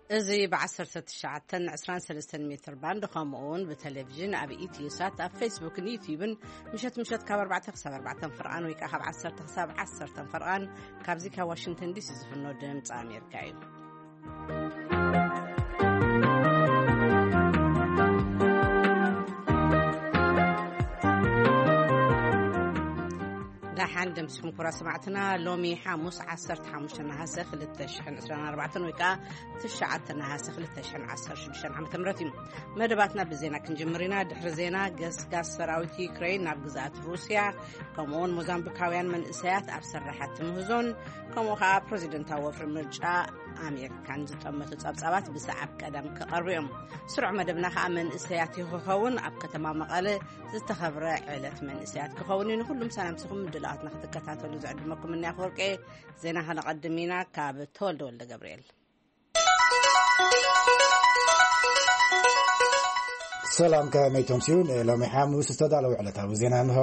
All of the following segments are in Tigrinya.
እዚ ብ19 23 ሜትር ባንድ፣ ከምኡ እውን ብቴሌቪዥን ኣብ ኢትዮ ሳት፣ ኣብ ፌስቡክን ዩቲዩብን ምሸት ምሸት ካብ ኣርባዕተ ክሳብ ኣርባዕተ ፍርቓን ወይ ከዓ ካብ ዓሰርተ ክሳብ ዓሰርተ ፍርቓን ካብዚ ካብ ዋሽንግተን ዲሲ ዝፍኖ ድምፂ ኣሜሪካ እዩ። ደሓን ደምስኹም ክቡራት ሰማዕትና። ሎሚ ሓሙስ ዓሰርተ ሓሙሽተ ነሃሰ ክልተ ሽሕን ዕስራን ኣርባዕተን ወይ ከዓ ትሽዓተ ነሃሰ ክልተ ሽሕን ዓሰርተ ሽዱሽተን ዓመተ ምህረት እዩ። መደባትና ብዜና ክንጅምር ኢና። ድሕሪ ዜና፣ ገስጋስ ሰራዊት ዩክሬን ናብ ግዝኣት ሩስያ፣ ከምኡውን ሞዛምቢካውያን መንእሰያት ኣብ ስራሓት ምህዞን፣ ከምኡ ከዓ ፕሬዚደንታዊ ወፍሪ ምርጫ ኣሜሪካን ዝጠመቱ ጸብጻባት ብሰዓብ ቀደም ክቐርቡ እዮም። ስሩዕ መደብና ከዓ መንእሰያት ይኸውን ኣብ ከተማ መቐለ ዝተኸብረ ዕለት መንእሰያት ክኸውን እዩ። ንኹሉም ሰላምትኹም ምድላዋትና ክትከታተሉ ዝዕድመኩም እኒ ኣፈወርቄ። ዜና ከነቐድም ኢና ካብ ተወልደ ወልደ ገብርኤል። ሰላም፣ ከመይ ተምስዩ? ንሎሚ ሓሙስ ዝተዳለዉ ዕለታዊ ዜና እንሆ።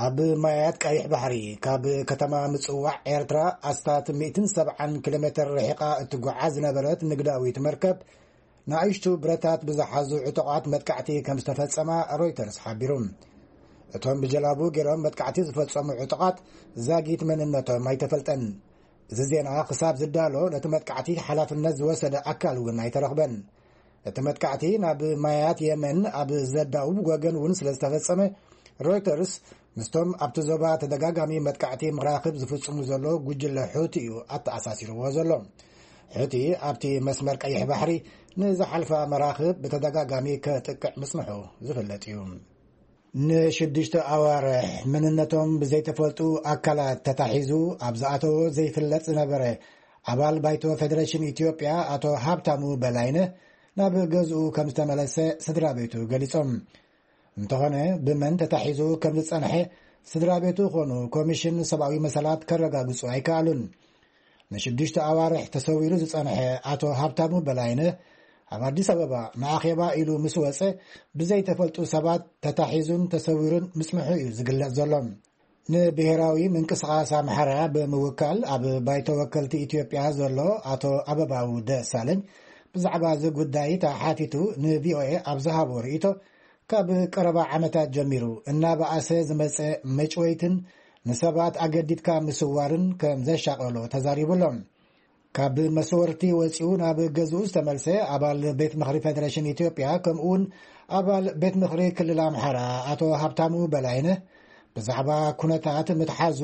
ኣብ ማያት ቀይሕ ባሕሪ ካብ ከተማ ምጽዋዕ ኤርትራ ኣስታት ሚእትን ሰብዓን ኪሎ ሜትር ርሒቓ እትጓዓዝ ዝነበረት ንግዳዊት መርከብ ንኣሽቱ ብረታት ብዝሓዙ ዕጡቓት መጥቃዕቲ ከም ዝተፈጸማ ሮይተርስ ሓቢሩ። እቶም ብጀላቡ ገይሮም መጥቃዕቲ ዝፈጸሙ ዕጡቓት ዛጊት መንነቶም ኣይተፈልጠን። እዚ ዜና ክሳብ ዝዳሎ ነቲ መጥቃዕቲ ሓላፍነት ዝወሰደ ኣካል እውን ኣይተረኽበን። እቲ መጥቃዕቲ ናብ ማያት የመን ኣብ ዘዳውብ ወገን እውን ስለ ዝተፈጸመ፣ ሮይተርስ ምስቶም ኣብቲ ዞባ ተደጋጋሚ መጥቃዕቲ መራኽብ ዝፍጽሙ ዘሎ ጉጅለ ሑቲ እዩ ኣተኣሳሲርዎ ዘሎ። ሑቲ ኣብቲ መስመር ቀይሕ ባሕሪ ንዝሓልፋ መራኽብ ብተደጋጋሚ ከጥቅዕ ምጽንሑ ዝፍለጥ እዩ። ንሽዱሽተ ኣዋርሕ መንነቶም ብዘይተፈልጡ ኣካላት ተታሒዙ ኣብ ዝኣተዎ ዘይፍለጥ ዝነበረ ኣባል ባይቶ ፌደሬሽን ኢትዮጵያ ኣቶ ሃብታሙ በላይነህ ናብ ገዝኡ ከም ዝተመለሰ ስድራ ቤቱ ገሊጾም። እንተኾነ፣ ብመን ተታሒዙ ከም ዝጸንሐ ስድራ ቤቱ ኾኑ ኮሚሽን ሰብኣዊ መሰላት ከረጋግጹ ኣይከኣሉን። ንሽዱሽተ ኣዋርሕ ተሰዊሩ ዝጸንሐ ኣቶ ሃብታሙ በላይነህ ኣብ ኣዲስ ኣበባ ንኣኼባ ኢሉ ምስ ወጸ፣ ብዘይተፈልጡ ሰባት ተታሒዙን ተሰዊሩን ምጽንሑ እዩ ዝግለጽ ዘሎ። ንብሔራዊ ምንቅስቓስ ኣምሓራ ብምውካል ኣብ ባይቶ ወከልቲ ኢትዮጵያ ዘሎ ኣቶ ኣበባው ደሳለኝ ብዛዕባ እዚ ጉዳይ ተሓቲቱ ንቪኦኤ ኣብ ዝሃቦ ርእይቶ፣ ካብ ቀረባ ዓመታት ጀሚሩ እናበኣሰ ዝመጸ መጭወይትን ንሰባት ኣገዲድካ ምስዋርን ከም ዘሻቐሎ ተዛሪቡ ኣሎ። ካብ መስወርቲ ወጺኡ ናብ ገዝኡ ዝተመልሰ ኣባል ቤት ምኽሪ ፌደሬሽን ኢትዮጵያ፣ ከምኡ እውን ኣባል ቤት ምኽሪ ክልል ኣምሓራ ኣቶ ሃብታሙ በላይነህ፣ ብዛዕባ ኩነታት ምትሓዙ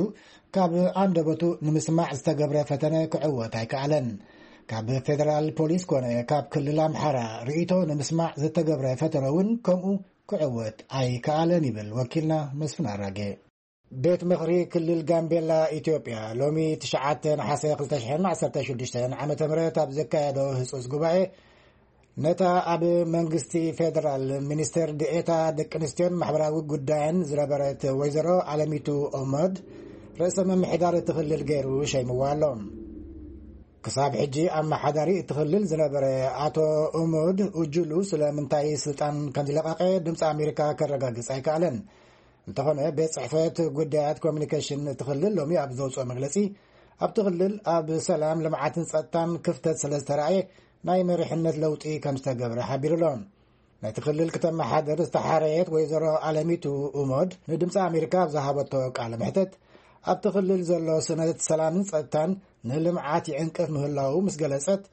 ካብ ኣንደበቱ ንምስማዕ ዝተገብረ ፈተነ ክዕወት ኣይከኣለን። ካብ ፌደራል ፖሊስ ኮነ ካብ ክልል ኣምሓራ ርእይቶ ንምስማዕ ዝተገብረ ፈተነ እውን ከምኡ ክዕወት ኣይከኣለን ይብል ወኪልና መስፍን ኣራጌ። ቤት ምኽሪ ክልል ጋምቤላ ኢትዮጵያ ሎሚ ትሽዓተ ነሓሰ ክልተ ሽሕን ዓሰርተ ሽዱሽተን ዓመተ ምህረት ኣብ ዘካየዶ ህጹጽ ጉባኤ፣ ነታ ኣብ መንግስቲ ፌደራል ሚኒስትር ዲኤታ ደቂ ኣንስትዮን ማሕበራዊ ጉዳይን ዝነበረት ወይዘሮ ኣለሚቱ ኦመድ ርእሰ ምምሕዳር እቲ ክልል ገይሩ ሸይምዋ ኣሎ። ክሳብ ሕጂ ኣመሓዳሪ እቲ ክልል ዝነበረ ኣቶ ኡሙድ ኡጁሉ ስለምንታይ ስልጣን ከም ዝለቐቐ ድምፂ ኣሜሪካ ከረጋግፅ ኣይከኣለን። እንተኾነ፣ ቤት ጽሕፈት ጉዳያት ኮሚኒኬሽን እቲ ክልል ሎሚ ኣብ ዘውፅኦ መግለፂ፣ ኣብቲ ክልል ኣብ ሰላም፣ ልምዓትን ጸጥታን ክፍተት ስለ ዝተረኣየ ናይ መሪሕነት ለውጢ ከም ዝተገብረ ሓቢሩ ኣሎ። ነቲ ክልል ክተመሓደር ዝተሓረየት ወይዘሮ ኣለሚቱ ኡሞድ ንድምፂ ኣሜሪካ ኣብ ዝሃበቶ ቃለ መሕተት፣ ኣብቲ ክልል ዘሎ ስነት ሰላምን ጸጥታን ንልምዓት ይዕንቅፍ ምህላዉ ምስ ገለጸት፣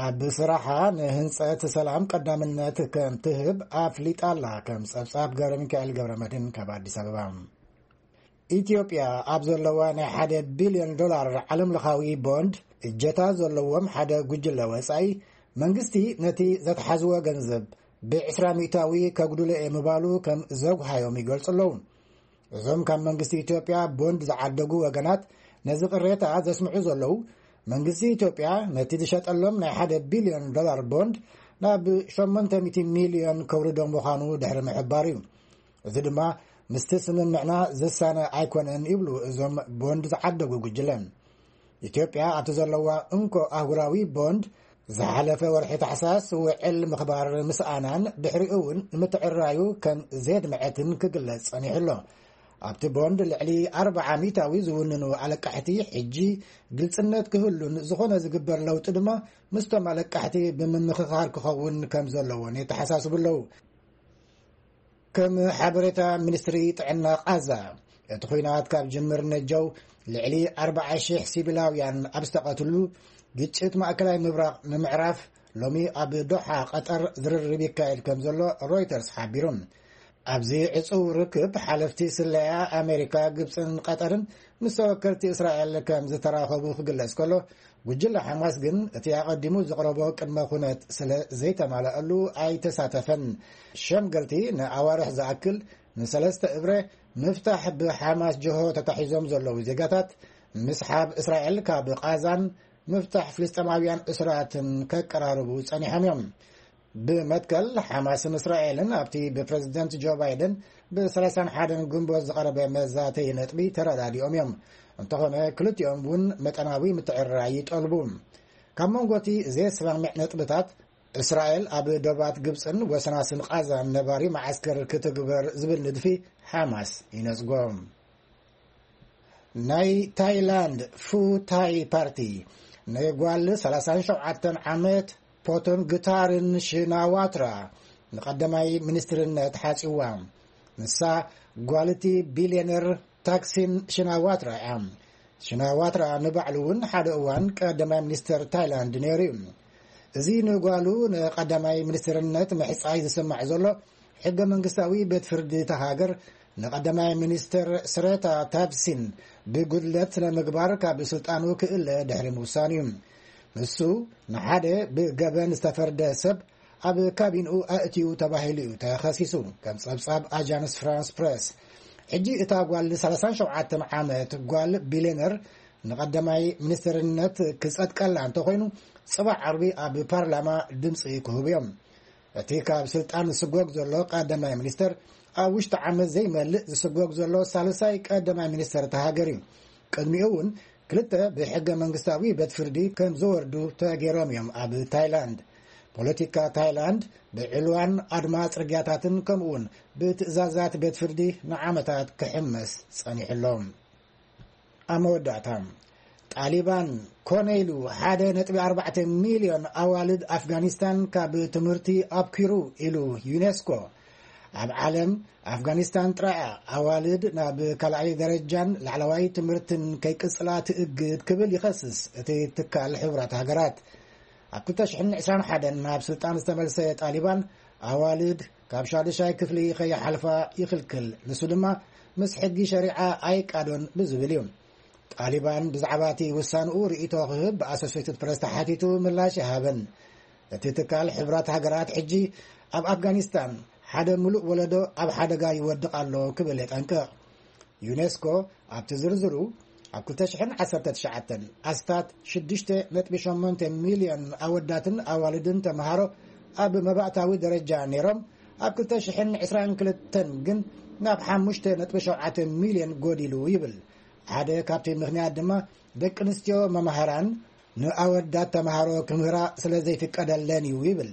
ኣብ ስራሓ ንህንጸት ሰላም ቀዳምነት ከም ትህብ ኣፍሊጣ ኣላ። ከም ጸብጻብ ገብረ ሚካኤል ገብረ መድህን ካብ ኣዲስ ኣበባ። ኢትዮጵያ ኣብ ዘለዋ ናይ ሓደ ቢልዮን ዶላር ዓለም ለኻዊ ቦንድ እጀታ ዘለዎም ሓደ ጉጅለ ወጻኢ፣ መንግስቲ ነቲ ዘትሓዝዎ ገንዘብ ብ20% ከጉድሎ እየ ምባሉ ከም ዘጉሃዮም ይገልጹ ኣለዉ። እዞም ካብ መንግስቲ ኢትዮጵያ ቦንድ ዝዓደጉ ወገናት ነዚ ቅሬታ ዘስምዑ ዘለዉ፣ መንግስቲ ኢትዮጵያ ነቲ ዝሸጠሎም ናይ ሓደ ቢልዮን ዶላር ቦንድ ናብ ሸሞንተ ሚእቲ ሚልዮን ከውርዶ ምዃኑ ድሕሪ ምሕባሩ እዩ። እዚ ድማ ምስቲ ስምምዕና ዝሳነ ኣይኮነን ይብሉ እዞም ቦንድ ዝዓደጉ ጉጅለ። ኢትዮጵያ ኣብቲ ዘለዋ እንኮ ኣህጉራዊ ቦንድ ዝሓለፈ ወርሒ ታሕሳስ ውዕል ምኽባር ምስኣናን ድሕሪኡ እውን ንምትዕራዩ ከም ዘየድመዐትን ክግለጽ ጸኒሑ ኣሎ። ኣብቲ ቦንድ ልዕሊ ኣርብዓ ሚእታዊ ዝውንኑ ኣለቃሕቲ ሕጂ ግልጽነት ክህሉን ዝኾነ ዝግበር ለውጢ ድማ ምስቶም ኣለቃሕቲ ብምምኽኻር ክኸውን ከም ዘለዎን የተሓሳስቡ ኣለዉ። ከም ሓበሬታ ሚኒስትሪ ጥዕና ቓዛ፣ እቲ ኲናት ካብ ጅምር ነጀው ልዕሊ ኣርብዓ ሽሕ ሲቪላውያን ኣብ ዝተቐትሉ፣ ግጭት ማእከላይ ምብራቕ ንምዕራፍ ሎሚ ኣብ ዶሓ ቀጠር ዝርርብ ይካየድ ከም ዘሎ ሮይተርስ ሓቢሩ። ኣብዚ ዕጹው ርክብ ሓለፍቲ ስለያ ኣሜሪካ፣ ግብጽን ቀጠርን ምስ ተወከልቲ እስራኤል ከም ዝተራኸቡ ክግለጽ ከሎ፣ ጉጅለ ሓማስ ግን እቲ ኣቐዲሙ ዝቕረቦ ቅድመ ኩነት ስለ ዘይተማልኣሉ ኣይተሳተፈን። ሸምገልቲ ንኣዋርሕ ዝኣክል ንሰለስተ እብረ ምፍታሕ ብሓማስ ጅሆ ተታሒዞም ዘለዉ ዜጋታት ምስሓብ እስራኤል ካብ ቓዛን ምፍታሕ ፍልስጤማውያን እስራትን ከቀራርቡ ጸኒሖም እዮም። ብመትከል ሓማስን እስራኤልን ኣብቲ ብፕረዚደንት ጆ ባይደን ብ31 ግንቦት ዝቐረበ መዛተዪ ነጥቢ ተረዳዲኦም እዮም። እንተኾነ ክልቲኦም እውን መጠናዊ ምትዕርራይ ይጠልቡ። ካብ መንጎ እቲ ዘየስማምዕ ነጥብታት፣ እስራኤል ኣብ ዶባት ግብጽን ወሰናስን ቓዛን ነባሪ መዓስከር ክትግበር ዝብል ንድፊ ሓማስ ይነጽጎ። ናይ ታይላንድ ፉ ታይ ፓርቲ ንጓል 37 ዓመት ፖቶን ግታርን ሽናዋትራ ንቐዳማይ ሚኒስትርነት ሓጺዋ። ንሳ ጓልቲ ቢልዮነር ታክሲን ሽናዋትራ እያ። ሽናዋትራ ንባዕሉ እውን ሓደ እዋን ቀዳማይ ሚኒስትር ታይላንድ ነይሩ እዩ። እዚ ንጓሉ ንቀዳማይ ሚኒስትርነት ምሕጻይ ዝስማዕ ዘሎ፣ ሕገ መንግስታዊ ቤት ፍርዲ እታ ሃገር ንቀዳማይ ሚኒስትር ስረታ ታብሲን ብጉድለት ስነ ምግባር ካብ ስልጣኑ ክእለ ድሕሪ ምውሳኑ እዩ። ንሱ ንሓደ ብገበን ዝተፈርደ ሰብ ኣብ ካቢንኡ ኣእትዩ ተባሂሉ እዩ ተኸሲሱ፣ ከም ጸብጻብ ኣጃንስ ፍራንስ ፕረስ። ሕጂ እታ ጓል 37 ዓመት ጓል ቢልዮነር ንቐዳማይ ሚኒስትርነት ክጸድቀላ እንተኾይኑ፣ ጽባሕ ዓርቢ ኣብ ፓርላማ ድምጺ ክህቡ እዮም። እቲ ካብ ስልጣን ዝስጎግ ዘሎ ቀዳማይ ሚኒስተር፣ ኣብ ውሽጢ ዓመት ዘይመልእ ዝስጎግ ዘሎ ሳልሳይ ቀዳማይ ሚኒስተር እታ ሃገር እዩ። ቅድሚኡ እውን ክልተ ብሕገ መንግስታዊ ቤት ፍርዲ ከም ዝወርዱ ተገይሮም እዮም ኣብ ታይላንድ። ፖለቲካ ታይላንድ ብዕልዋን ኣድማ ጽርግያታትን ከምኡውን ብትእዛዛት ቤት ፍርዲ ንዓመታት ክሕመስ ጸኒሑ ኣሎ። ኣብ መወዳእታ፣ ጣሊባን ኮነ ኢሉ 1.4 ሚልዮን ኣዋልድ ኣፍጋኒስታን ካብ ትምህርቲ ኣብኪሩ ኢሉ ዩኔስኮ። ኣብ ዓለም ኣፍጋኒስታን ጥራይ እያ ኣዋልድ ናብ ካልኣይ ደረጃን ላዕለዋይ ትምህርትን ከይቅጽላ ትእግድ ክብል ይኸስስ እቲ ትካል ሕቡራት ሃገራት። ኣብ 2021 ናብ ስልጣን ዝተመልሰ ጣሊባን ኣዋልድ ካብ ሻዱሻይ ክፍሊ ከይሓልፋ ይኽልክል። ንሱ ድማ ምስ ሕጊ ሸሪዓ ኣይቃዶን ብዝብል እዩ። ጣሊባን ብዛዕባ እቲ ውሳንኡ ርእይቶ ክህብ ብኣሶሴትድ ፕረስ ተሓቲቱ ምላሽ ይሃበን። እቲ ትካል ሕቡራት ሃገራት ሕጂ ኣብ ኣፍጋኒስታን ሓደ ምሉእ ወለዶ ኣብ ሓደጋ ይወድቕ ኣሎ ክብል የጠንቅቕ። ዩኔስኮ ኣብቲ ዝርዝሩ፣ ኣብ 2019 ኣስታት 6.8 ሚልዮን ኣወዳትን ኣዋልድን ተምሃሮ ኣብ መባእታዊ ደረጃ ነይሮም፣ ኣብ 2022 ግን ናብ 5.7 ሚልዮን ጎዲሉ ይብል። ሓደ ካብቲ ምኽንያት ድማ ደቂ ኣንስትዮ መማህራን ንኣወዳት ተምሃሮ ክምህራ ስለ ዘይፍቀደለን እዩ ይብል።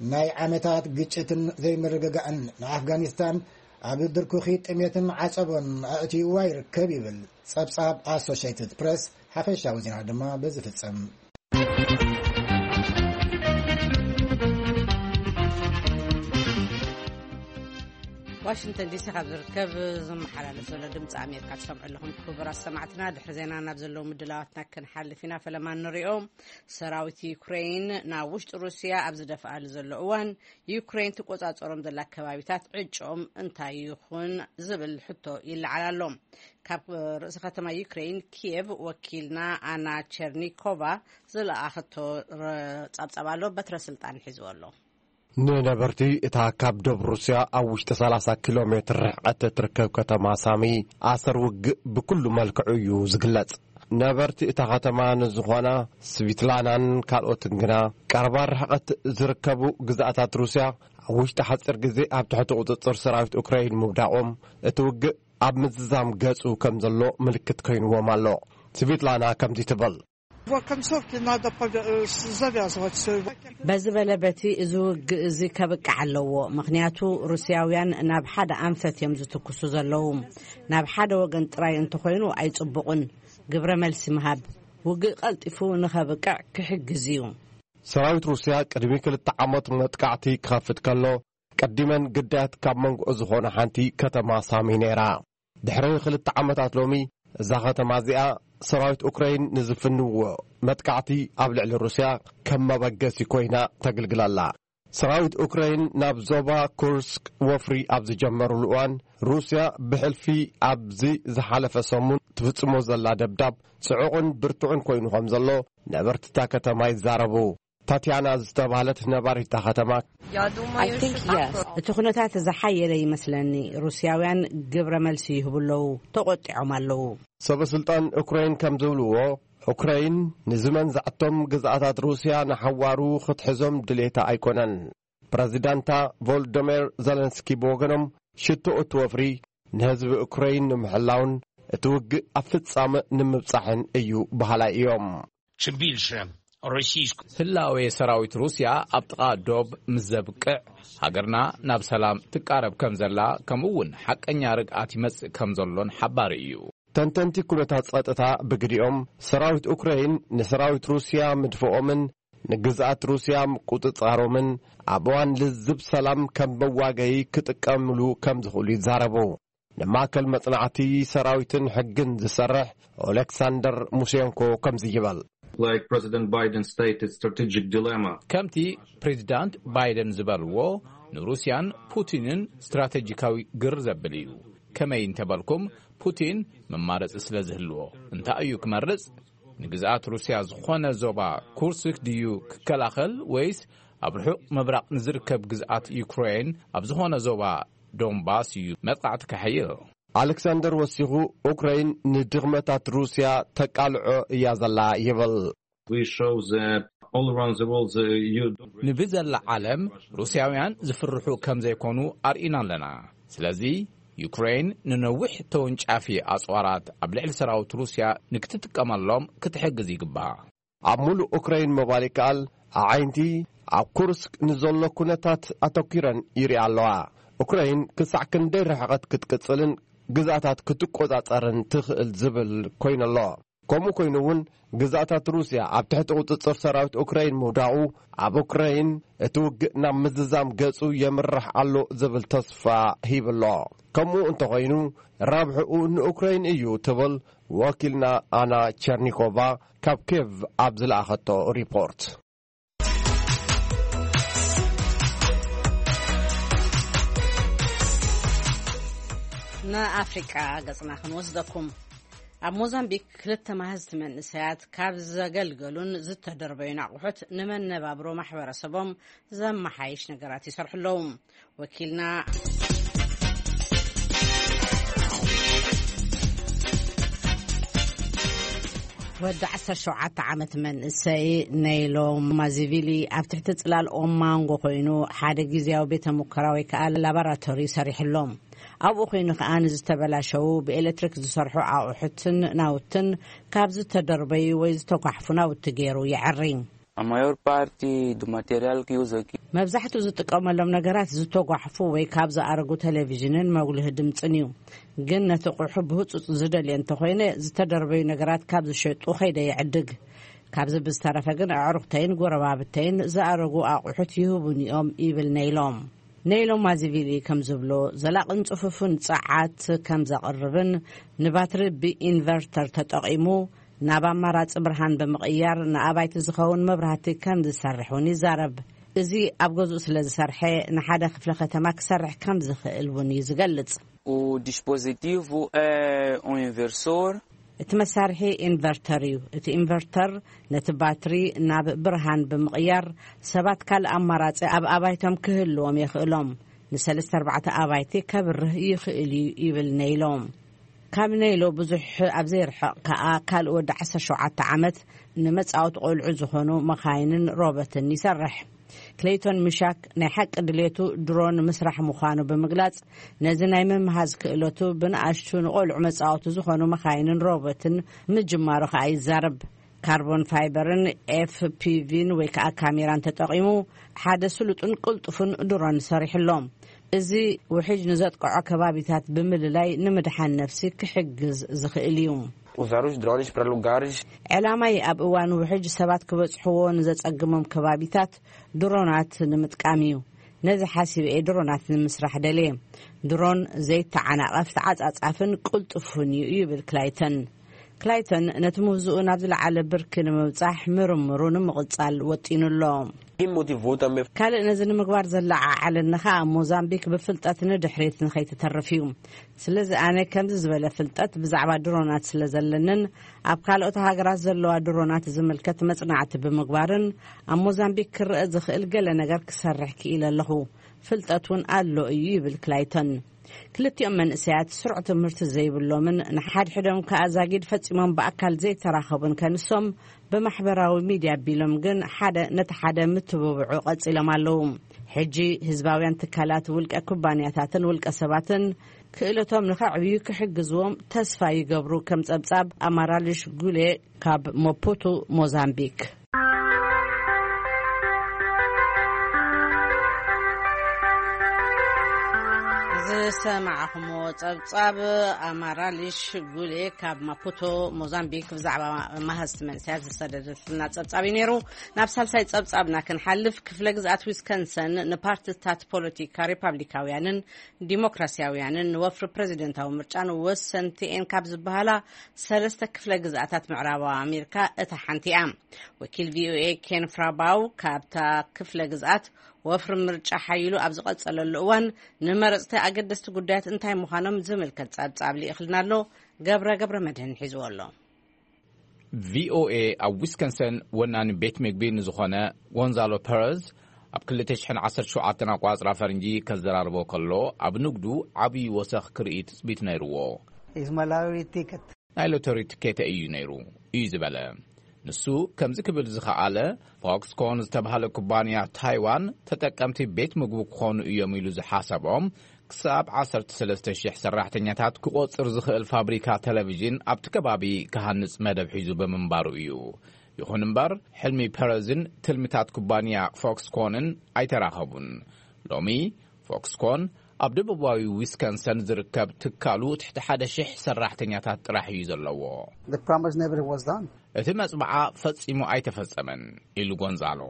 ናይ ዓመታት ግጭትን ዘይምርግጋእን ንኣፍጋኒስታን ኣብ ድርኩኺ ጥሜትን ዓጸቦን ኣእትይዋ ይርከብ ይብል ጸብጻብ ኣሶሼትድ ፕረስ። ሓፈሻዊ ዜና ድማ በዚ ፍጸም። ዋሽንግተን ዲሲ ካብ ዝርከብ ዝመሓላለፍ ዘሎ ድምፂ ኣሜሪካ ትሰምዑ ኣለኹም። ክቡራት ሰማዕትና፣ ድሕሪ ዜና ናብ ዘለዉ ምድላዋትና ክንሓልፍ ኢና። ፈለማ ንሪኦ። ሰራዊት ዩክሬን ናብ ውሽጢ ሩስያ ኣብ ዝደፍኣሉ ዘሎ እዋን፣ ዩክሬን ትቆጻጸሮም ዘላ ከባቢታት ዕጭኦም እንታይ ይኹን ዝብል ሕቶ ይለዓል ኣሎ። ካብ ርእሰ ከተማ ዩክሬን ኪየቭ ወኪልና ኣና ቸርኒኮቫ ዝለኣኸቶ ረ-፣ ጸብጻብ ኣሎ። በትረ ስልጣን ሒዝዎ ኣሎ። ንነበርቲ እታ ካብ ዶብ ሩስያ ኣብ ውሽጢ 30 ኪሎ ሜትር ርሕቀት እትርከብ ከተማ ሳሚ፣ ኣሰር ውግእ ብኩሉ መልክዑ እዩ ዝግለጽ። ነበርቲ እታ ከተማ ንዝኾና ስቪትላናን ካልኦትን ግና፣ ቀረባ ርሕቀት ዝርከቡ ግዝኣታት ሩስያ ኣብ ውሽጢ ሓጺር ግዜ ኣብ ትሕቲ ቁጽጽር ሰራዊት ኡክራይን ምውዳቖም፣ እቲ ውግእ ኣብ ምዝዛም ገጹ ከም ዘሎ ምልክት ኮይንዎም ኣሎ። ስቪትላና ከምዚ ትብል። Bo końcówki nada powi- e, s- zawiązać. Bezi በለ በቲ እዚ ውግእ እዚ ከብቅዕ ኣለዎ። ምኽንያቱ ሩስያውያን ናብ ሓደ ኣንፈት እዮም ዝትኩሱ ዘለዉ። ናብ ሓደ ወገን ጥራይ እንተኾይኑ ኣይጽቡቕን። ግብረ መልሲ ምሃብ ውግእ ቀልጢፉ ንኸብቅዕ ክሕግዝ እዩ። ሰራዊት ሩስያ ቅድሚ ክልተ ዓመት መጥቃዕቲ ክኸፍት ከሎ፣ ቀዲመን ግዳያት ካብ መንጎ ዝኾነ ሓንቲ ከተማ ሳሚ ነይራ። ድሕሪ ክልተ ዓመታት ሎሚ፣ እዛ ከተማ እዚኣ ሰራዊት ኡክራይን ንዝፍንዎ መጥቃዕቲ ኣብ ልዕሊ ሩስያ ከም መበገሲ ኮይና ተግልግላላ። ሰራዊት ኡክራይን ናብ ዞባ ኩርስክ ወፍሪ ኣብ ዝጀመሩሉ እዋን፣ ሩስያ ብሕልፊ ኣብዚ ዝሓለፈ ሰሙን ትፍጽሞ ዘላ ደብዳብ ጽዑቕን ብርቱዕን ኮይኑ ከም ዘሎ ነበርትታ ከተማ ይዛረቡ። ታትያና ዝተባህለት ነባሪታ ከተማ፣ Я думаю, что так. እቲ ኩነታት ዝሓየለ ይመስለኒ። ሩስያውያን ግብረ መልሲ ይህቡ ኣለዉ፣ ተቖጢዖም ኣለዉ። ሰበ ስልጣን ኡክራይን ከም ዝብልዎ፣ ኡክራይን ንዝመንዛዕቶም ግዝኣታት ሩስያ ንሓዋሩ ክትሕዞም ድሌታ ኣይኮነን። ፕረዚዳንታ ቮልዶሜር ዘለንስኪ ብወገኖም፣ ሽቶ እቲ ወፍሪ ንህዝቢ ኡክራይን ንምሕላውን እቲ ውግእ ኣብ ፍጻመ ንምብጻሕን እዩ በሃላይ እዮም። Чим більше російської ህላዌ ሰራዊት ሩስያ ኣብ ጥቓ ዶብ ምስ ዘብቅዕ፣ ሃገርና ናብ ሰላም ትቃረብ ከም ዘላ፣ ከምኡ እውን ሓቀኛ ርግኣት ይመጽእ ከም ዘሎን ሓባሪ እዩ። ተንተንቲ ኩነታት ጸጥታ ብግዲኦም፣ ሰራዊት ኡክራይን ንሰራዊት ሩስያ ምድፍኦምን ንግዝኣት ሩስያ ምቁጽጻሮምን ኣብ እዋን ልዝብ ሰላም ከም መዋገዪ ክጥቀምሉ ከም ዝኽእሉ ይዛረቡ። ንማእከል መጽናዕቲ ሰራዊትን ሕግን ዝሰርሕ ኦሌክሳንደር ሙሴንኮ ከምዚ ይበል። Like President Biden stated, strategic dilemma. ከምቲ ፕሬዚዳንት ባይደን ዝበልዎ፣ ንሩስያን ፑቲንን ስትራቴጂካዊ ግር ዘብል እዩ። ከመይ እንተበልኩም፣ ፑቲን መማረጺ ስለ ዝህልዎ። እንታይ እዩ ክመርጽ? ንግዝኣት ሩስያ ዝኾነ ዞባ ኩርስክ ድዩ ክከላኸል፣ ወይስ ኣብ ርሑቕ ምብራቕ ንዝርከብ ግዝኣት ዩክሬን ኣብ ዝኾነ ዞባ ዶንባስ እዩ መጥቃዕቲ ከሕይል? ኣሌክሳንደር ወሲኹ፣ ኡክራይን ንድኽመታት ሩስያ ተቃልዖ እያ ዘላ ይብል። We show that all around the world, the E U ንብዘላ ዓለም ሩስያውያን ዝፍርሑ ከም ዘይኮኑ ኣርኢና ኣለና። ስለዚ ዩክሬን ንነዊሕ ተወንጫፊ ኣጽዋራት ኣብ ልዕሊ ሰራዊት ሩስያ ንክትጥቀመሎም ክትሕግዝ ይግባእ። ኣብ ሙሉእ ኡክራይን ምባል ይከኣል፣ ኣዓይንቲ ኣብ ኩርስክ ንዘሎ ኩነታት ኣተኲረን ይሪኣ ኣለዋ። ኡክራይን ክሳዕ ክንደይ ርሕቐት ክትቅጽልን ግዝኣታት ክትቆጻጸርን ትኽእል ዝብል ኮይኑ ኣሎ። ከምኡ ኮይኑ እውን፣ ግዝኣታት ሩስያ ኣብ ትሕቲ ቁጽጽር ሰራዊት ኡክራይን ምውዳቑ፣ ኣብ ኡክራይን እቲ ውግእ ናብ ምዝዛም ገጹ የምርሕ ኣሎ ዝብል ተስፋ ሂብሎ። ከምኡ እንተኾይኑ፣ ረብሕኡ ንኡክራይን እዩ ትብል ወኪልና ኣና ቸርኒኮቫ ካብ ኬቭ ኣብ ዝለኣኸቶ ሪፖርት። ንኣፍሪቃ ገጽና ክንወስደኩም። ኣብ ሞዛምቢክ ክልተ ማህዝቲ መንእሰያት ካብ ዘገልገሉን ዝተደርበዩን ኣቑሑት ንመነባብሮ ማሕበረሰቦም ዘመሓይሽ ነገራት ይሰርሑ ኣለዉ። ወኪልና ወዲ ዓሰርተ ሸውዓተ ዓመት መንእሰይ ነይሎ ማዚቪሊ ኣብ ትሕቲ ጽላል ኦማንጎ ኮይኑ ሓደ ግዜያዊ ቤተ ሙከራ ወይ ከኣ ላቦራቶሪ ሰሪሕሎም። ኣብኡ ኮይኑ ከኣ ንዝተበላሸዉ ብኤሌክትሪክ ዝሰርሑ ኣቑሑትን ናውትን ካብ ዝተደርበዩ ወይ ዝተጓሕፉ ናውቲ ገይሩ የዐሪ። A maior parte do material que uso aqui. መብዛሕትኡ ዝጥቀመሎም ነገራት ዝተጓሕፉ ወይ ካብ ዝኣረጉ ቴሌቪዥንን መጉልሂ ድምፅን እዩ። ግን ነቲ ቁሑ ብህፁፅ ዝደልየ እንተኾይነ ዝተደርበዩ ነገራት ካብ ዝሸጡ ከይደ ይዕድግ። ካብዚ ብዝተረፈ ግን ኣዕሩኽተይን ጎረባብተይን ዝኣረጉ ኣቑሑት ይህቡኒ እዮም ይብል ነይሎም። ነይሎም ማዚቪሊ ከም ዝብሎ ዘላቕን ፅፉፍን ፀዓት ከም ዘቕርብን ንባትሪ ብኢንቨርተር ተጠቒሙ ናብ ኣማራፂ ብርሃን ብምቕያር ንኣባይቲ ዝኸውን መብራህቲ ከም ዝሰርሕ እውን ይዛረብ። እዚ ኣብ ገዝኡ ስለ ዝሰርሐ ንሓደ ክፍለ ከተማ ክሰርሕ ከም ዝኽእል እውን እዩ ዝገልጽ። O dispositivo é um inversor. እቲ መሳርሒ ኢንቨርተር እዩ። እቲ ኢንቨርተር ነቲ ባትሪ ናብ ብርሃን ብምቕያር ሰባት ካልእ ኣማራፂ ኣብ ኣባይቶም ክህልዎም የኽእሎም። ንሰለስተ ኣርባዕተ ኣባይቲ ከብርህ ይኽእል እዩ ይብል ነይሎም። ካብ ነይሎ ብዙሕ ኣብ ዘይርሕቕ ከኣ ካልእ ወዲ ዓሰርተ ሸውዓተ ዓመት ንመጻወቲ ቆልዑ ዝኾኑ መኻይንን ሮቦትን ይሰርሕ። ክሌይቶን ምሻክ ናይ ሓቂ ድሌቱ ድሮን ምስራሕ ምዃኑ ብምግላጽ ነዚ ናይ ምምሃዝ ክእለቱ ብንኣሽቱ ንቆልዑ መጻወቲ ዝኾኑ መኻይንን ሮቦትን ምጅማሩ ከኣ ይዛረብ። ካርቦን ፋይበርን ኤፍፒቪን ወይ ከዓ ካሜራን ተጠቒሙ ሓደ ስሉጥን ቅልጡፍን ድሮን ሰሪሕሎም። እዚ ውሕጅ ንዘጥቅዖ ከባቢታት ብምልላይ ንምድሓን ነፍሲ ክሕግዝ ዝኽእል እዩ። Usar os drones para lugares ዕላማይ ኣብ እዋን ውሕጅ ሰባት ክበጽሕዎ ንዘጸግሞም ከባቢታት ድሮናት ንምጥቃም እዩ። ነዚ ሓሲበ እየ ድሮናት ንምስራሕ ደልየ። ድሮን ዘይተዓናቐፍ፣ ተዓጻጻፍን ቅልጡፍን እዩ ይብል ክላይተን። ክላይተን ነቲ ምህዝኡ ናብ ዝለዓለ ብርኪ ንምብጻሕ ምርምሩ ንምቕጻል ወጢኑ ኣሎ። E motivou também ካልእ ነዚ ንምግባር ዘለዓዓለኒ ከኣ ሞዛምቢክ ብፍልጠት ንድሕሪት ንኸይትተርፍ እዩ። ስለዚ ኣነ ከምዚ ዝበለ ፍልጠት ብዛዕባ ድሮናት ስለ ዘለንን ኣብ ካልኦት ሃገራት ዘለዋ ድሮናት ዝምልከት መጽናዕቲ ብምግባርን ኣብ ሞዛምቢክ ክረአ ዝኽእል ገለ ነገር ክሰርሕ ክኢለ ኣለኹ። ፍልጠት እውን ኣሎ እዩ ይብል ክላይተን። ክልቲኦም መንእሰያት ስሩዕ ትምህርቲ ዘይብሎምን ንሓድሕዶም ከኣ ዛጊድ ፈጺሞም ብኣካል ዘይተራኸቡን ከንሶም ብማሕበራዊ ሚድያ ኣቢሎም ግን ሓደ ነቲ ሓደ ምትብብዑ ቀጺሎም ኣለዉ። ሕጂ ህዝባውያን ትካላት፣ ውልቀ ኩባንያታትን ውልቀ ሰባትን ክእለቶም ንኸዕብዩ ክሕግዝዎም ተስፋ ይገብሩ። ከም ጸብጻብ ኣማራልሽ ጉሌ ካብ ሞፑቱ ሞዛምቢክ። ዝሰማዕኹሞ ጸብጻብ ኣማራልሽ ጉሌ ካብ ማፑቶ ሞዛምቢክ ብዛዕባ መሃዝቲ መንእሰያት ዝሰደደትና ጸብጻብ እዩ ነይሩ። ናብ ሳልሳይ ጸብጻብና ክንሓልፍ፣ ክፍለ ግዝኣት ዊስከንሰን ንፓርቲታት ፖለቲካ ሪፓብሊካውያንን ዲሞክራሲያውያንን ንወፍሪ ፕሬዚደንታዊ ምርጫን ወሰንቲ እየን ካብ ዝበሃላ ሰለስተ ክፍለ ግዝኣታት ምዕራባዊ ኣሜሪካ እታ ሓንቲ እያ። ወኪል ቪኦኤ ኬን ፍራባው ካብታ ክፍለ ግዝኣት ወፍሪ ምርጫ ሓይሉ ኣብ ዝቐጸለሉ እዋን ንመረጽቲ ኣገደስቲ ጉዳያት እንታይ ምዃኖም ዝምልከት ጸብጻብ ልኢኽልና ኣሎ። ገብረ ገብረ መድህን ሒዝዎ ኣሎ። ቪኦኤ ኣብ ዊስከንሰን ወናኒ ቤት ምግቢ ንዝኾነ ጎንዛሎ ፐረዝ ኣብ ክልተ ሽሕን ዓሰርተ ሸውዓተን ኣቋጽራ ፈረንጂ ከዘራርቦ ከሎ፣ ኣብ ንግዱ ዓብዪ ወሰኽ ክርኢ ትጽቢት ነይርዎ። Is my lottery ticket. ናይ ሎተሪ ትኬተ እዩ ነይሩ እዩ ዝበለ። ንሱ ከምዚ ክብል ዝኸኣለ፣ ፎክስኮን ዝተባህለ ኩባንያ ታይዋን ተጠቀምቲ ቤት ምግቡ ክኾኑ እዮም ኢሉ ዝሓሰቦም ክሳብ ዓሰርተ ሰለስተ ሽሕ ሰራሕተኛታት ክቆጽር ዝኽእል ፋብሪካ ቴሌቪዥን ኣብቲ ከባቢ ክሃንጽ መደብ ሒዙ ብምንባሩ እዩ። ይኹን እምበር፣ ሕልሚ ፐረዝን ትልምታት ኩባንያ ፎክስኮንን ኣይተራኸቡን። ሎሚ ፎክስኮን ኣብ ደቡባዊ ዊስከንሰን ዝርከብ ትካሉ ትሕቲ ሓደ ሽሕ ሰራሕተኛታት ጥራሕ እዩ ዘለዎ። The promise never was done. እቲ መጽብዓ ፈጺሙ ኣይተፈጸመን ኢሉ ጎንዛሎ።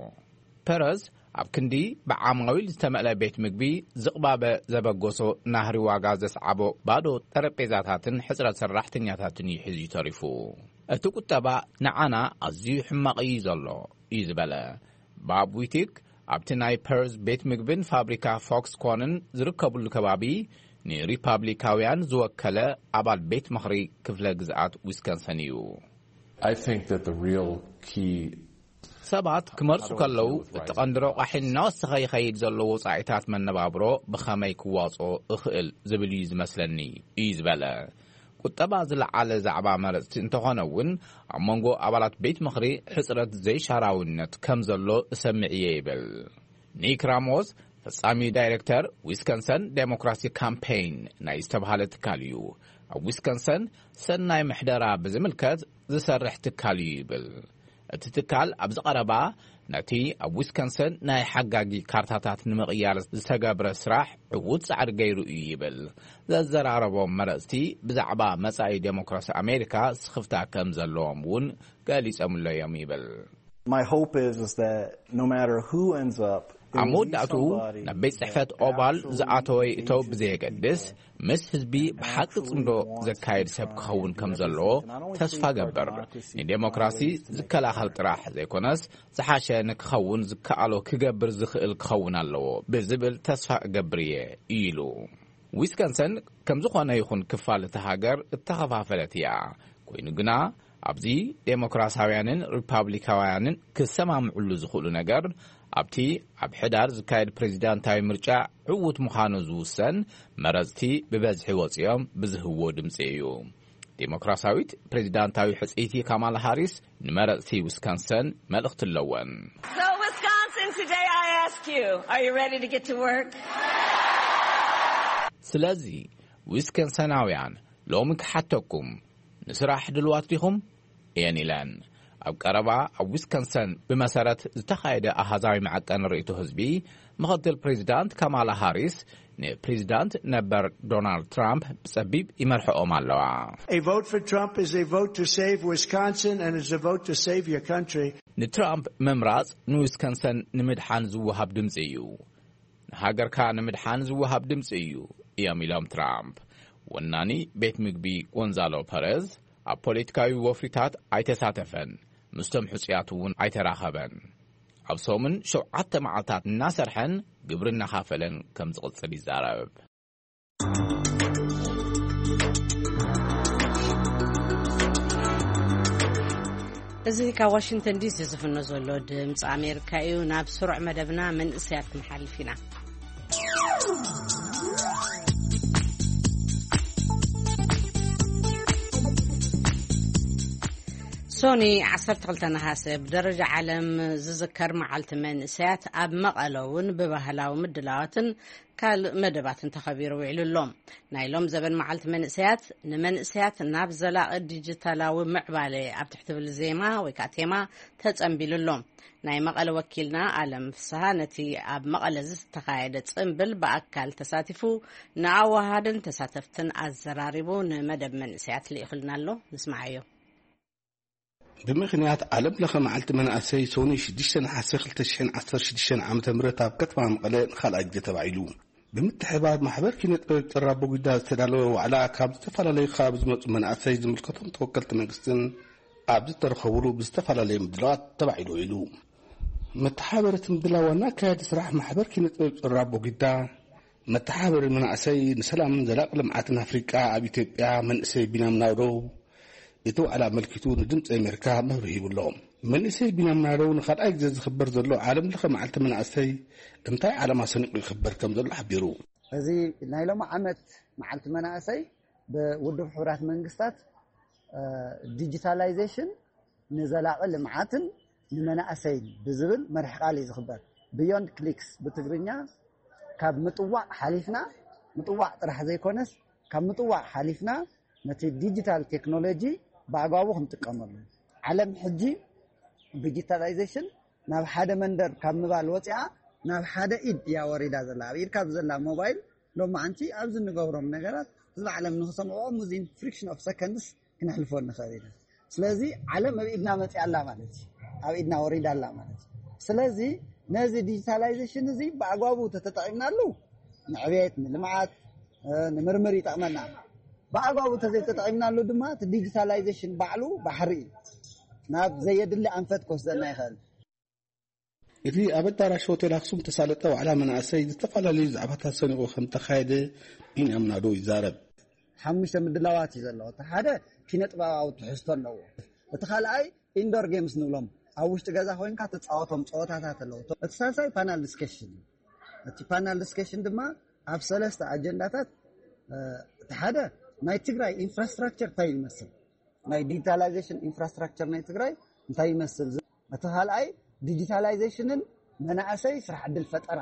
ፐረዝ ኣብ ክንዲ ብዓማዊል ዝተመልአ ቤት ምግቢ፣ ዝቕባበ ዘበገሶ ናህሪ ዋጋ ዘስዓቦ ባዶ ጠረጴዛታትን ሕጽረት ሰራሕተኛታትን እዩ ሒዙ ተሪፉ። እቲ ቁጠባ ንዓና ኣዝዩ ሕማቕ እዩ ዘሎ እዩ ዝበለ። ባብ ዊቲክ ኣብቲ ናይ ፐርዝ ቤት ምግብን ፋብሪካ ፎክስኮንን ዝርከብሉ ከባቢ ንሪፓብሊካውያን ዝወከለ ኣባል ቤት ምኽሪ ክፍለ ግዝኣት ዊስከንሰን እዩ። I think that the real key ሰባት ክመርጹ ከለዉ፣ እቲ ቀንዲ ረቋሒ እናወሰኸ ይኸይድ ዘሎ ወጻኢታት መነባብሮ ብኸመይ ክዋጽኦ እኽእል ዝብል እዩ ዝመስለኒ እዩ ዝበለ። ቁጠባ ዝለዓለ ዛዕባ መረጽቲ እንተኾነ እውን፣ ኣብ መንጎ ኣባላት ቤት ምኽሪ ሕጽረት ዘይሻራውነት ከም ዘሎ እሰምዕ እየ ይብል። ኒክ ራሞስ ፈጻሚ ዳይሬክተር ዊስከንሰን ዴሞክራሲ ካምፔይን ናይ ዝተባህለ ትካል እዩ። ኣብ ዊስከንሰን ሰናይ ምሕደራ ብዝምልከት ዝሰርሕ ትካል እዩ ይብል። እቲ ትካል ኣብዚ ቀረባ ነቲ ኣብ ዊስከንሰን ናይ ሓጋጊ ካርታታት ንምቕያር ዝተገብረ ስራሕ ዕዉት ጻዕሪ ገይሩ እዩ ይብል። ዘዘራረቦም መረጽቲ ብዛዕባ መጻኢ ዴሞክራሲ ኣሜሪካ ስኽፍታ ከም ዘለዎም እውን ገሊጾምሎ እዮም ይብል። My hope is, is that no matter who ends up, there ኣብ will be መወዳእትኡ somebody ናብ ቤት ጽሕፈት that ኦቫል actually ዝኣተወ ይእተው engages ብዘየገድስ፣ people ምስ ህዝቢ ብሓቂ ጽምዶ ዘካየድ ሰብ ክኸውን ከም ዘለዎ ተስፋ ገብር። ንዴሞክራሲ ዝከላኸል ጥራሕ ዘይኮነስ፣ ዝሓሸ ንክኸውን ዝከኣሎ ክገብር ዝኽእል ክኸውን ኣለዎ ብዝብል ተስፋ እገብር እየ ኢሉ። ዊስከንሰን ከም ዝኾነ ይኹን ክፋል እታ ሃገር እተኸፋፈለት እያ። ኮይኑ ግና ኣብዚ ዴሞክራሳውያንን ሪፓብሊካውያንን ክሰማምዕሉ ዝኽእሉ ነገር፣ ኣብቲ ኣብ ሕዳር ዝካየድ ፕሬዚዳንታዊ ምርጫ ዕዉት ምዃኑ ዝውሰን፣ መረጽቲ ብበዝሒ ወጺኦም ብዝህብዎ ድምጺ እዩ። ዴሞክራሳዊት ፕሬዚዳንታዊ ሕጽይቲ ካማላ ሃሪስ ንመረጽቲ ዊስካንሰን መልእኽቲ ኣለወን። So, Wisconsin, today I ask you, are you ready to get to work? ስለዚ ዊስከንሰናውያን፣ ሎሚ ክሓተኩም፣ ንስራሕ ድልዋት ዲኹም? እየን ኢለን። ኣብ ቀረባ ኣብ ዊስኮንሰን ብመሰረት ዝተኻየደ ኣሃዛዊ መዐቀኒ ርእይቶ ህዝቢ፣ ምኽትል ፕሬዚዳንት ካማላ ሃሪስ ንፕሬዚዳንት ነበር ዶናልድ ትራምፕ ብጸቢብ ይመርሕኦም ኣለዋ። A vote for Trump is a vote to save Wisconsin and is a vote to save your country. ንትራምፕ ምምራጽ ንዊስኮንሰን ንምድሓን ዝወሃብ ድምጺ እዩ። ንሃገርካ ንምድሓን ዝወሃብ ድምጺ እዩ እዮም ኢሎም ትራምፕ። ወናኒ ቤት ምግቢ ጎንዛሎ ፐረዝ ኣብ ፖለቲካዊ ወፍሪታት ኣይተሳተፈን፣ ምስቶም ሕጹያት እውን ኣይተራኸበን። ኣብ ሰሙን ሸውዓተ መዓልታት እናሰርሐን ግብሪ እናኻፈለን ከም ዝቕጽል ይዛረብ። እዚ ካብ ዋሽንግተን ዲሲ ዝፍኖ ዘሎ ድምፂ ኣሜሪካ እዩ። ናብ ስሩዕ መደብና መንእሰያት ክንሓልፍ ኢና። ሶኒ ዓሰርተ ክልተ ነሃሰ ብደረጃ ዓለም ዝዝከር መዓልቲ መንእሰያት ኣብ መቐለ እውን ብባህላዊ ምድላዋትን ካልእ መደባትን ተኸቢሩ ውዒሉ ኣሎ። ናይ ሎም ዘበን መዓልቲ መንእሰያት ንመንእሰያት ናብ ዘላቒ ዲጂታላዊ ምዕባለ ኣብ ትሕቲ ትብል ዜማ ወይ ከዓ ቴማ ተጸንቢሉ ኣሎ። ናይ መቐለ ወኪልና ኣለም ፍስሃ ነቲ ኣብ መቐለ ዝተኻየደ ጽንብል ብኣካል ተሳቲፉ ንኣዋሃድን ተሳተፍትን ኣዘራሪቡ ንመደብ መንእሰያት ልኢኹልና ኣሎ። ንስምዓዮ። ብምኽንያት ዓለም ለኸ መዓልቲ መናእሰይ ሶኒ ሽዱሽተ ነሓሰ ክልተ ሽሕን ዓሰርተ ሽዱሽተን ዓመተ ምህረት ኣብ ከተማ መቐለ ንኻልኣይ ግዜ ተባዒሉ። ብምትሕባር ማሕበር ኪነ ጥበብ ጭራ ቦጊዳ ዝተዳለወ ዋዕላ ካብ ዝተፈላለዩ ከባቢ ዝመፁ መናእሰይ ዝምልከቶም ተወከልቲ መንግስትን ኣብ ዝተረኸቡሉ ብዝተፈላለየ ምድላዋት ተባዒሉ ውዒሉ። መተሓበርቲ ምድላው ዋና ኣካያዲ ስራሕ ማሕበር ኪነ ጥበብ ጭራ ቦጊዳ መተሓበሪ መናእሰይ ንሰላምን ዘላቂ ልምዓትን ኣፍሪቃ ኣብ ኢትዮጵያ መንእሰይ ቢንያም ናውደው እቲ ዋዕላ ኣመልኪቱ ንድምፂ ኣሜሪካ መብርሂ ይብሎ። መንእሰይ ቢንያም ናውደው ንኻልኣይ ግዜ ዝኽበር ዘሎ ዓለም ለኸ መዓልቲ መናእሰይ እንታይ ዓላማ ሰኒቑ ይኽበር ከም ዘሎ ሓቢሩ። እዚ ናይ ሎም ዓመት መዓልቲ መናእሰይ ብውድብ ሕቡራት መንግስታት ዲጂታላይዜሽን ንዘላቒ ልምዓትን ንመናእሰይን ብዝብል መርሒ ቃል እዩ ዝኽበር። ብዮንድ ክሊክስ ብትግርኛ ካብ ምጥዋቕ ሓሊፍና ምጥዋቕ ጥራሕ ዘይኮነስ ካብ ምጥዋቕ ሓሊፍና ነቲ ዲጂታል ቴክኖሎጂ ብኣግባቡ ክንጥቀመሉ። ዓለም ሕጂ ዲጂታላይዜሽን ናብ ሓደ መንደር ካብ ምባል ወፂኣ ናብ ሓደ ኢድ እያ ወሪዳ ዘላ። ኣብ ኢድካ ብዘላ ሞባይል ሎማዓንቲ ኣብዚ እንገብሮም ነገራት ህዝቢ ዓለም ንክሰምዕኦ ሙዚን ፍሪክሽን ኦፍ ሰከንድስ ክነሕልፎ ንኽእል ኢና። ስለዚ ዓለም ኣብ ኢድና መፂኣ ኣላ ማለት እዩ። ኣብ ኢድና ወሪዳ ኣላ ማለት እዩ። ስለዚ ነዚ ዲጂታላይዜሽን እዚ ብኣግባቡ ተተጠቒምናሉ ንዕቤት ንልምዓት ንምርምር ይጠቕመና። ብኣግባቡ ተዘይተጠቒምናሉ ድማ እቲ ዲጂታላይዜሽን ባዕሉ ባሕሪ እዩ። ናብ ዘየድሊ ኣንፈት ክወስደና ይኽእል። እቲ ኣብ ኣዳራሽ ሆቴል ኣክሱም ተሳለጠ ዋዕላ መናእሰይ ዝተፈላለዩ ዛዕባታት ሰኒቑ ከም ተኻየደ ቢንያም ናዶ ይዛረብ። ሓሙሽተ ምድላዋት እዩ ዘለዎ። እቲ ሓደ ኪነ ጥበባዊ ትሕዝቶ ኣለዎ። እቲ ካልኣይ ኢንዶር ጌምስ ንብሎም ኣብ ውሽጢ ገዛ ኮይንካ ትፃወቶም ፀወታታት ኣለዉ። እቲ ሳልሳይ ፓናል ዲስከሽን እዩ። እቲ ፓናል ዲስከሽን ድማ ኣብ ሰለስተ ኣጀንዳታት እቲ ሓደ ናይ ትግራይ ኢንፍራስትራክቸር እንታይ ይመስል፣ ናይ ዲጂታላይዜሽን ኢንፍራስትራክቸር ናይ ትግራይ እንታይ ይመስል፣ እቲ ካልኣይ ዲጂታላይዜሽንን መናእሰይ ስራሕ ዕድል ፈጠራ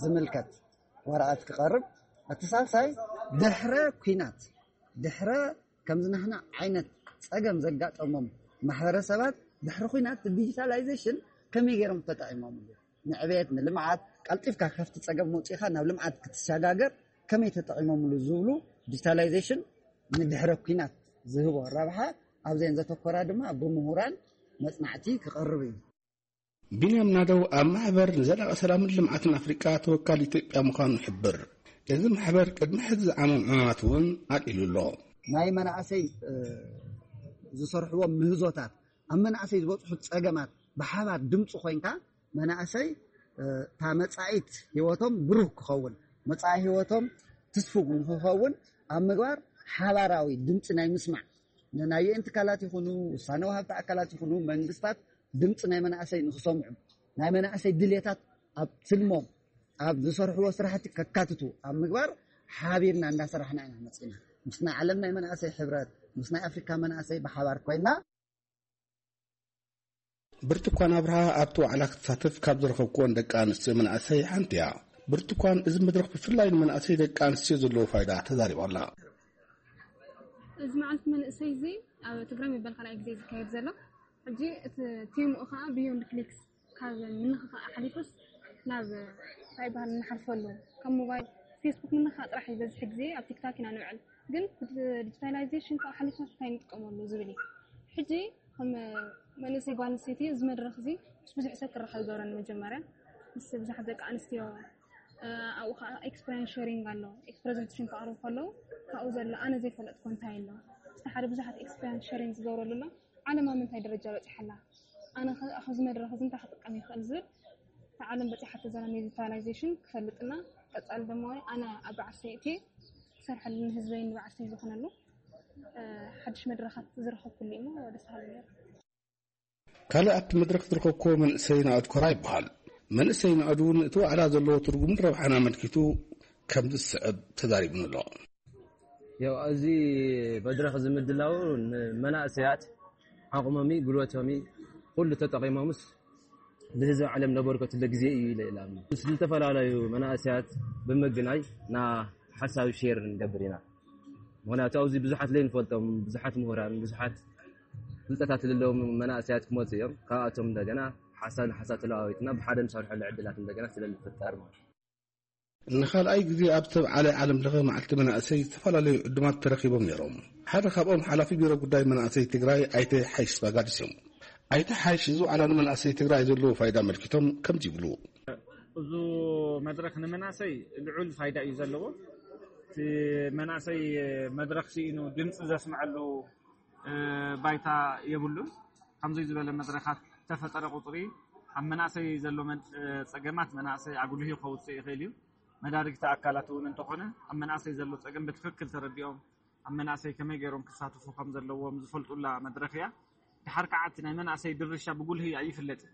ዝምልከት ወረቐት ክቐርብ፣ እቲ ሳልሳይ ድሕረ ኩናት ድሕረ ከምዚ ናህና ዓይነት ፀገም ዘጋጠሞም ማሕበረሰባት ድሕሪ ኩናት ዲጂታላይዜሽን ከመይ ገይሮም ተጠቂሞምሉ፣ ንዕቤት ንልምዓት ቀልጢፍካ ካብቲ ፀገም መውፂእካ ናብ ልምዓት ክትሰጋገር ከመይ ተጠቂሞምሉ ዝብሉ ዲጂታላይዜሽን ንድሕረ ኩናት ዝህቦ ረብሓ ኣብዘን ዘተኮራ ድማ ብምሁራን መፅናዕቲ ክቐርብ እዩ። ቢንያም ናደው ኣብ ማሕበር ንዘላቂ ሰላምን ልምዓትን ኣፍሪቃ ተወካል ኢትዮጵያ ምዃኑ ይሕብር። እዚ ማሕበር ቅድሚ ሕዚ ዝዓመም ዕማማት እውን ኣልዒሉ ኣሎ። ናይ መናእሰይ ዝሰርሕዎም ምህዞታት ኣብ መናእሰይ ዝበፅሑ ፀገማት ብሓባር ድምፂ ኮይንካ መናእሰይ እታ መፃኢት ህይወቶም ብሩህ ክኸውን መፃኢ ህይወቶም ትስፉ ንክኸውን ኣብ ምግባር ሓባራዊ ድምፂ ናይ ምስማዕ ናይ ዩኤን ትካላት ይኹኑ ውሳነ ወሃብቲ ኣካላት ይኹኑ መንግስታት ድምፂ ናይ መናእሰይ ንክሰምዑ ናይ መናእሰይ ድሌታት ኣብ ትልሞም ኣብ ዝሰርሕዎ ስራሕቲ ከካትቱ ኣብ ምግባር ሓቢርና እንዳሰራሕና ኢና መፂና ምስ ናይ ዓለም ናይ መናእሰይ ሕብረት ምስ ናይ ኣፍሪካ መናእሰይ ብሓባር ኮይና ብርቱኳን ኣብርሃ ኣብቲ ዋዕላ ክትሳተፍ ካብ ዝረኸብኩወን ደቂ ኣንስትዮ መናእሰይ ሓንቲ እያ። ብርቱኳን እዚ መድረኽ ብፍላይ ንመናእሰይ ደቂ ኣንስትዮ ዘለዎ ፋይዳ ተዛሪባ ኣላ። እዚ መዓልቲ መንእሰይ እዚ ኣብ ትግራይ መበል ካልኣይ ግዜ ዝካየድ ዘሎ ሕጂ እቲ ቴምኡ ከዓ ቢዮንድ ክሊክስ ካብ ምንኽኻእ ሓሊፉስ ናብ እንታይ ይበሃል እንሓልፈሉ፣ ካብ ሞባይል ፌስቡክ ምንኽኻእ ጥራሕ እዩ። በዝሒ ግዜ ኣብ ቲክታክ ኢና ንውዕል፣ ግን ዲጂታላይዜሽን ካብ ሓሊፍና እንታይ ንጥቀመሉ ዝብል እዩ። ሕጂ ከም መንእሰይ ጓል ኣንስተይቲ እዚ መድረኽ እዚ ምስ ብዙሕ ሰብ ክራኸብ ይገብረኒ። መጀመርያ ምስ ብዙሓት ደቂ ኣንስትዮ ኣብኡ ከዓ ኤክስፐሪንስ ሸሪንግ ኣሎ። ፕሬዘንቴሽን ክቕርቡ ከለዉ ካብኡ ዘሎ ኣነ ዘይፈለጥኩ እንታይ ኣሎ፣ ምስ ሓደ ብዙሓት ኤክስፐሪንስ ሸሪንግ ዝገብረሉ ኣሎ። ዓለም ኣብ ምንታይ ደረጃ በፂሓ ኣላ፣ ኣነ ከ ኣብዚ መድረኽ እዚ እንታይ ክጥቀም ይኽእል ዝብል፣ እታ ዓለም በፂሓቶ ዘላ ዲጂታላይዜሽን ክፈልጥና፣ ቀፃሊ ድማ ኣነ ኣብ በዓል ሰይቲ ክሰርሐሉ ንህዝበይን ንበዓል ሰይ ዝኾነሉ ሓድሽ መድረኻት ዝረኸብኩሉ እዩ። ደስ በሃሊ ነይሩ። ካልእ ኣብቲ መድረኽ ዝረኸብኩዎ መንእሰይ ናእድ ኮራ ይበሃል። መንእሰይ ናእድ እውን እቲ ዋዕላ ዘለዎ ትርጉምን ረብሓን ኣመልኪቱ ከምዚ ዝስዕብ ተዛሪቡኒ ኣሎ። ያው እዚ መድረኽ እዚ ምድላው ንመናእሰያት ዓቕሞሚ ጉልበቶሚ ኩሉ ተጠቒሞምስ ንህዝቢ ዓለም ለበርከትለ ግዜ እዩ ኢለ ኢላም ምስ ዝተፈላለዩ መናእሰያት ብምግናይ ና ሓሳብ ሼር ንገብር ኢና። ምክንያቱ ኣብዚ ብዙሓት ለይንፈልጦም ብዙሓት ምሁራን ብዙሓት ፍልጠታት ዘለዎም መናእሰያት ክመፁ እዮም። ካብኣቶም እንደገና ሓሳብ ንሓሳብ ተለዋዊጥና ብሓደ ንሰርሐሉ ዕድላት እንደገና ስለ ዝፍጠር ማለት እዩ። ንኻልኣይ ግዜ ኣብ ዝተብዓለ ዓለም ለኸ መዓልቲ መናእሰይ ዝተፈላለዩ ዕዱማት ተረኺቦም ነይሮም። ሓደ ካብኦም ሓላፊ ቢሮ ጉዳይ መናእሰይ ትግራይ ኣይተ ሓይሽ ባጋዲስ እዮም። ኣይተ ሓይሽ እዚ ዋዕላ ንመናእሰይ ትግራይ ዘለዎ ፋይዳ ኣመልኪቶም ከምዚ ይብሉ። እዚ መድረኽ ንመናእሰይ ልዑል ፋይዳ እዩ ዘለዎ። እቲ መናእሰይ መድረኽ ስኢኑ ድምፂ ዘስምዐሉ ባይታ የብሉን። ከምዚ ዝበለ መድረኻት ተፈጠረ ቁፅሪ ኣብ መናእሰይ ዘሎ ጸገማት መናእሰይ ኣጉሊሁ ከውፅእ ይኽእል እዩ። መዳርግቲ ኣካላት እውን እንተኾነ ኣብ መናእሰይ ዘሎ ጸገም ብትኽክል ተረዲኦም ኣብ መናእሰይ ከመይ ገይሮም ክሳተፉ ከም ዘለዎም ዝፈልጡላ መድረኽ እያ። ድሓር ከዓ እቲ ናይ መናእሰይ ድርሻ ብጉልሂ ኣይፍለጥን።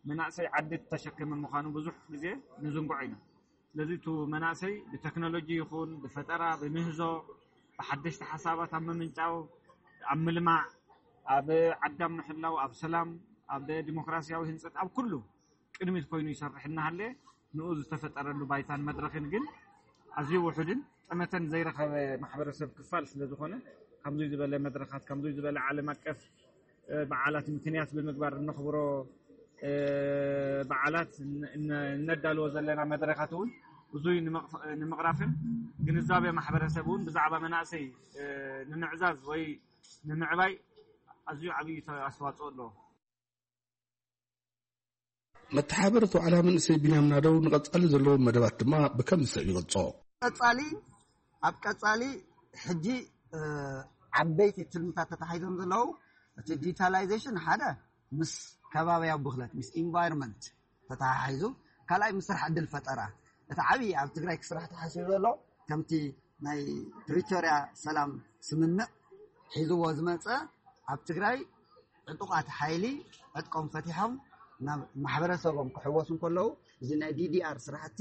መናእሰይ ዓዲ ተሸከመ ምዃኑ ብዙሕ ግዜ ንዝንግዖ ኢና። ስለዚ እቲ መናእሰይ ብቴክኖሎጂ ይኹን ብፈጠራ ብምህዞ ብሓደሽቲ ሓሳባት ኣብ ምምንጫው ኣብ ምልማዕ ኣብ ዓዳም ምሕላው ኣብ ሰላም ኣብ ዲሞክራሲያዊ ህንፀት ኣብ ኩሉ ቅድሚት ኮይኑ ይሰርሕ እናሃለ ንኡ ዝተፈጠረሉ ባይታን መድረኽን ግን ኣዝዩ ውሑድን ጠመተን ዘይረኸበ ማሕበረሰብ ክፋል ስለ ዝኾነ ከምዙይ ዝበለ መድረኻት ከምዙይ ዝበለ ዓለም ኣቀፍ በዓላት ምክንያት ብምግባር እነኽብሮ በዓላት እነዳልዎ ዘለና መድረኻት እውን ብዙይ ንምቕራፍን ግንዛቤ ማሕበረሰብ እውን ብዛዕባ መናእሰይ ንምዕዛዝ ወይ ንምዕባይ ኣዝዩ ዓብዪ ኣስተዋፅኦ ኣለዎ። መተሓበርቲ ዋዕላ መንእሰይ ቢንያም ናደው ንቐፃሊ ዘለዎም መደባት ድማ ብከምዚ ሰብ ይገልፆ። ቀፃሊ ኣብ ቀፃሊ ሕጂ ዓበይቲ ትልምታት ተታሒዞም ዘለዉ እቲ ዲጂታላይዜሽን ሓደ ምስ ከባቢያዊ ብክለት ምስ ኢንቫይሮንመንት ተተሓሒዙ ካልኣይ ምስ ስራሕ ዕድል ፈጠራ እቲ ዓብዪ ኣብ ትግራይ ክስራሕ ተሓሲቡ ዘሎ ከምቲ ናይ ፕሪቶርያ ሰላም ስምምዕ ሒዝዎ ዝመፀ ኣብ ትግራይ ዕጡቓት ሓይሊ ዕጥቆም ፈቲሖም ናብ ማሕበረሰቦም ክሕወሱ እንከለዉ እዚ ናይ ዲዲኣር ስራሕቲ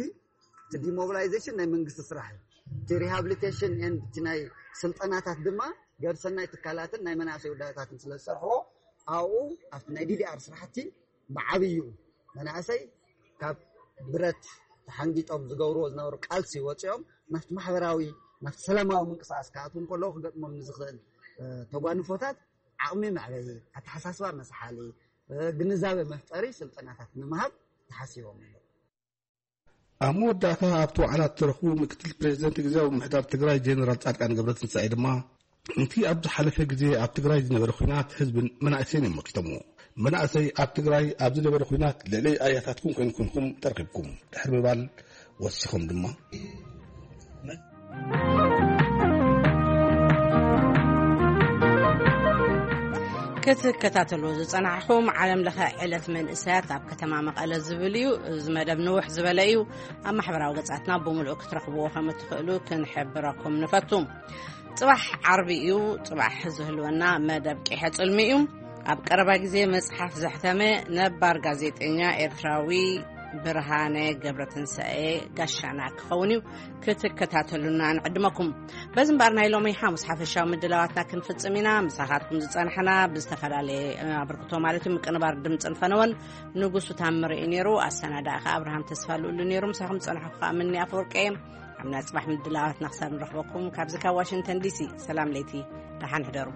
እቲ ዲሞቢላይዜሽን ናይ መንግስቲ ስራሕ እዩ። እቲ ሪሃብሊቴሽን ኤንድ እቲ ናይ ስልጠናታት ድማ ገርሰናይ ትካላትን ናይ መናእሰይ ውዳታትን ስለ ዝሰርሕዎ ኣብኡ ኣብቲ ናይ ዲዲኣር ስራሕቲ ብዓብዩ መናእሰይ ካብ ብረት ተሓንጊጦም ዝገብርዎ ዝነበሩ ቃልሲ ወፂኦም ናብቲ ማሕበራዊ ናብቲ ሰላማዊ ምንቅስቃስ ክኣትዉ እንከለዉ ክገጥሞም ንዝኽእል ተጓንፎታት ዓቕሚ መዕበይ ኣተሓሳስባ መስሓሊ ግንዛበ መፍጠሪ ስልጠናታት ንምሃብ ተሓሲቦም ኣለዉ። ኣብ መወዳእታ ኣብቲ ዋዕላ እተረኽቡ ምክትል ፕሬዚደንት ግዜያዊ ምምሕዳር ትግራይ ጀነራል ፃድቃን ገብረትንሳኤ ድማ እቲ ኣብ ዝሓለፈ ግዜ ኣብ ትግራይ ዝነበረ ኹናት ህዝብን መናእሰይን እዮም መኪቶምዎ። መናእሰይ ኣብ ትግራይ ኣብ ዝነበረ ኹናት ልዕሊ ኣያታትኩም ኮይንኩምኩም ተረኺብኩም ድሕሪ ምባል ወሲኾም ድማ ክትከታተሉ ዝጸናሕኹም ዓለም ለኸ ዕለት መንእሰያት ኣብ ከተማ መቐለ ዝብል እዩ። እዚ መደብ ንውሕ ዝበለ እዩ። ኣብ ማሕበራዊ ገጻትና ብምሉእ ክትረኽብዎ ከም እትኽእሉ ክንሕብረኩም ንፈቱ። ጽባሕ ዓርቢ እዩ። ጽባሕ ዝህልወና መደብ ቂሐ ጽልሚ እዩ። ኣብ ቀረባ ግዜ መጽሓፍ ዘሕተመ ነባር ጋዜጠኛ ኤርትራዊ ብርሃነ ገብረትንሳኤ ጋሻና ክኸውን እዩ። ክትከታተሉና ንዕድመኩም። በዚ እምበኣር ናይ ሎሚ ሓሙስ ሓፈሻዊ ምድላዋትና ክንፍጽም ኢና። ምሳኻትኩም ዝጸናሕና ብዝተፈላለየ ኣበርክቶ ማለት እዩ ምቅንባር ድምፅን ፈነወን ንጉሱ ታምር እዩ ነይሩ። ኣሰናዳኢ ኸዓ ኣብርሃም ተስፋ ልኡሉ ነይሩ። ምሳኹም ዝጸናሕኩ ኸዓ ምኒ ኣፈወርቂ እየ። ኣብ ናይ ጽባሕ ምድላዋትና ክሳብ ንረኽበኩም ካብዚ ካብ ዋሽንግተን ዲሲ ሰላም ለይቲ ደሓን ሕደሩ።